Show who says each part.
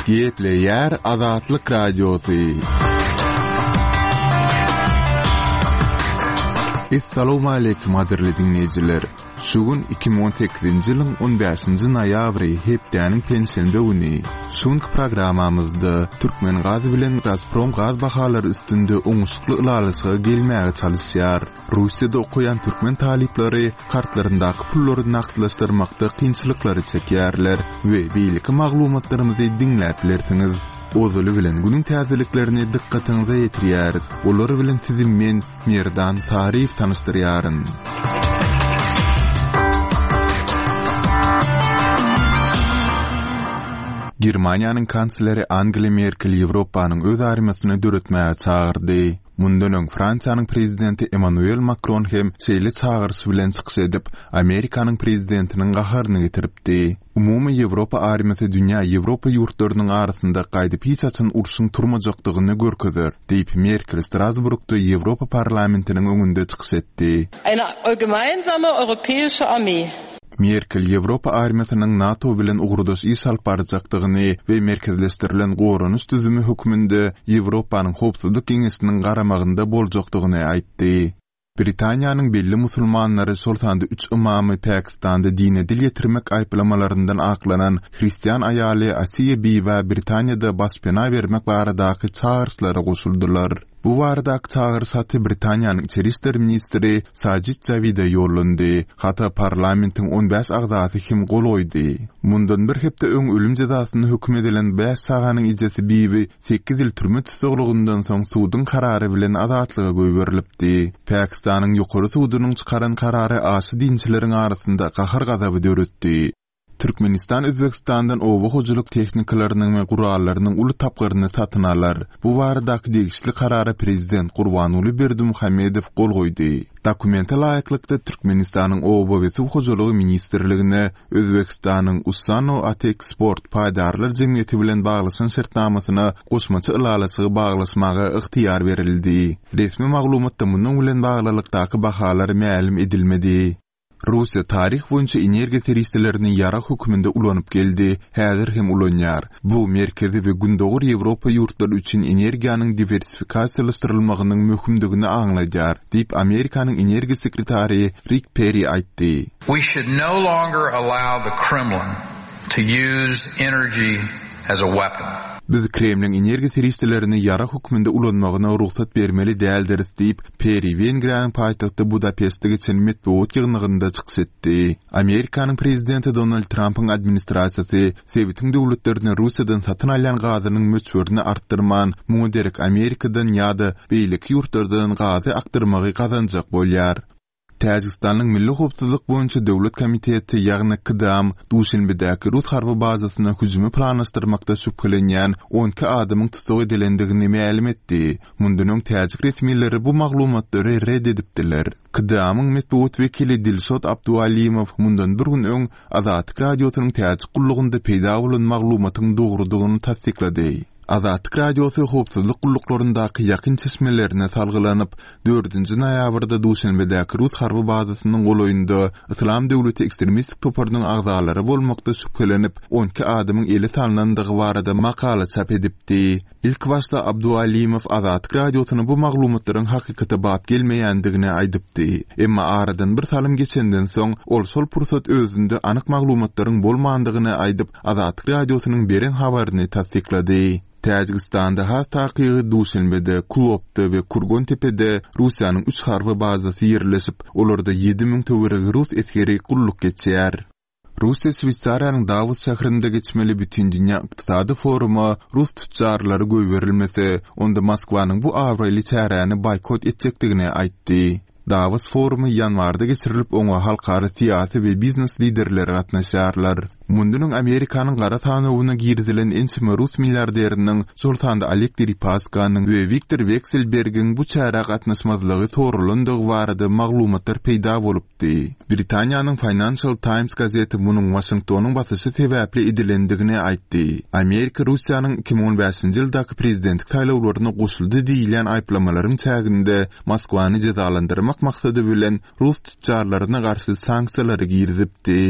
Speaker 1: Gepleýär Azatlyk Radiosy. Essalawmaleýkim gadyrly diňleýjiler! Şu gün 2018-nji ýylyň on bäşinji noýabry, hepdäniň penşenbe güni. Şu günki programmamyzda Türkmengaz bilen Gazprom gaz bahalary üstünde oňuşykly ylalaşyga gelmäge çalyşýar. Russiýada okaýan türkmen talyplary kartlaryndaky pullary nagtlaşdyrmakda kynçylyklary çekýärler we beýleki maglumatlarymyzy diňläp bilersiňiz. Ozaly bilen günüň täzeliklerini dykgatyňyza ýetirýäris. Olar bilen sizi men, Merdan Saryýew tanyşdyrýaryn. Germaniýanyň kansleri Angela Merkel Ýewropanyň öz armiýasyny döretmäge çagyrdy. Mundan öň Fransiýanyň prezidenti Emmanuel Makron hem şeýle çagyryş bilen çykyş edip, Amerikanyň prezidentiniň gaharyny getiripdi. Umumy Ýewropa armiýasy dünýä Ýewropa ýurtlarynyň arasynda gaýdyp hiç haçan urşuň turmajakdygyny görkezer, diýip, Merkel Strasburgda Ýewropa Parlamentiniň öňünde çykyş etdi.
Speaker 2: Eine gemeinsame europäische Armee.
Speaker 1: Merkel Ýewropa armiýasynyň NATO bilen ugurdaş iş alyp barjakdygyny we merkezleşdirilen goranyş düzümi hökmünde Ýewropanyň Howpsuzlyk Geňeşiniň garamagynda boljakdygyny aýtdy. Britaniýanyň belli musulmanlary, şol sanda üç ymamy Pakistanda dine dil ýetirmek aýyplamalaryndan aklanan hristian aýaly Asiýa Bibä Britaniýada başpena bermek baradaky çagyryşlara goşuldylar. Bu baradaky çagyryş haty Britaniýanyň içeri işler ministri Sajid Jawide ýollandy. Hata parlamentiň on bäş agzasy hem gol goýdy. Mundan bir hepde öň ölüm jezasyna höküm edilen bäş çaganyň ejesi Bibi sekiz ýyl türme tussaglygyndan soň suduň karary bilen azatlyga goýberilipdi. Pakistanyň Ýokary sudunyň çykaran karary aşa dinçileriň arasynda gahar-gazaby döretdi. Türkmenistan Özbegistandan oba hojalyk tehnikalarynyň we gurallarynyň uly tapgyryny satyn alar. Bu baradaky degişli karara prezident Gurbanguly Berdimuhamedow gol goýdy. Dokumente laýyklykda, Türkmenistanyň Oba we suw hojalygy ministrligine Özbegistanyň Ussanoateksport paýdarlar jemgyýeti bilen baglaşan şertnamasyna goşmaça ylalaşygy baglaşmaga ygtyýar berildi. Resmi maglumatda munuň bilen baglylykdaky bahalar mälim edilmedi. Russiýa taryh boýunça energiýa serişdelerini ýarag hökmünde ulanyp geldi, häzir hem ulanýar. Bu Merkezi we Gündogar Ýewropa ýurtlary üçin energiýanyň diwersifikasiýalaşdyrylmagynyň möhümdigini aňladýar, diýip, Amerikanyň energiýa sekretary Rik Perri aýtdy.
Speaker 3: We should no longer allow the Kremlin to use energy as a weapon.
Speaker 1: Biz Kremliň energiýa serişdelerini ýarag hökmünde ulanmagyna rugsat bermeli däldiris diýip, Perri Wengriýanyň paýtagty Budapeştde geçen metbugat ýygnagynda çykyş etdi. Amerikanyň prezidenti Donald Trampyň administrasiýasy sebitiň döwletlerine Russiýadan satyn alýan gazynyň möçberini artdyrman, muňa derek Amerikadan ýa-da beýleki ýurtlardan gazy akdyrmagy gazanjak bolýar. Täjigistanyň Milli howpsuzlyk boýunça döwlet komiteti, ýagny KDAM, Duşenbedäki rus harby bazasyna hüjümi planlaşdyrmakda şübhelenýän 12 adamyň tussag edilendigini mälim etdi. Mundan öň täjik resmileri bu maglumatlary ret edipdiler. KDAM-yň metbugat wekili Dilşod Abdualimow mundan bir gün öň Azatlyk Radiosynyň täjik gullugynda peýda bolan maglumatyň dogrudygyny tassyklady. Azatlyk Radiosy howpsuzlyk gulluklaryndaky ýakyn çeşmelerine salgylanyp, dördünji noýabrda Duşenbedäki rus harby bazasynyň golaýynda Yslam döwleti ekstremistik toparynyň agzalary bolmakda şübhelenip, 12 adamyň ele salnandygy barada makala çap edipdi. Ilkibaşda Abdualimow Azatlyk Radiosyna bu maglumatlaryň hakykata bap gelmeýändigini aýdypdy. Emma aradan bir salym geçenden soň, ol şol pursat özünde anyk maglumatlaryň bolmandygyny aýdyp, Azatlyk Radiosynyň beren habaryny tassyklady. Täjigistanda, has takygy Duşenbede, Kulobda we Kurgontepede Russiýanyň üç harby bazasy ýerleşip, olarda 7000 töweregi rus esgeri gulluk geçýär. Russiýa Şweýsariýanyň Dawos şäherinde geçmeli Bütindünýä ykdysady foruma rus tütjarlary goýberilmese, onda Moskwanyň bu abraýly çäräni boýkot etjekdigini aýtdy. Dawos forumy ýanwarda geçirilip, oňa halkara syýasy we biznes liderleri gatnaşýarlar. Mundan öň Amerikanyň gara sanawyna girizilen ençeme rus milliarderiniň, şol sanda Oleg Deripaskanyň we Wiktor Wekselbergiň bu çärä gatnaşmazlygy soralandygy barada maglumatlar peýda bolupdy. Britaniýanyň Financial Times gazeti munuň Waşingtonyň basyşy sebäpli edilendigini aýtdy. Amerika Russiýanyň 2015-nji ýyldaky prezidentlik saýlawlaryna goşuldy diýilýän aýyplamalaryň çäginde Moskwany jezalandyrmak maksady bilen rus tütjarlaryna garşy sanksiýalary girizipdi.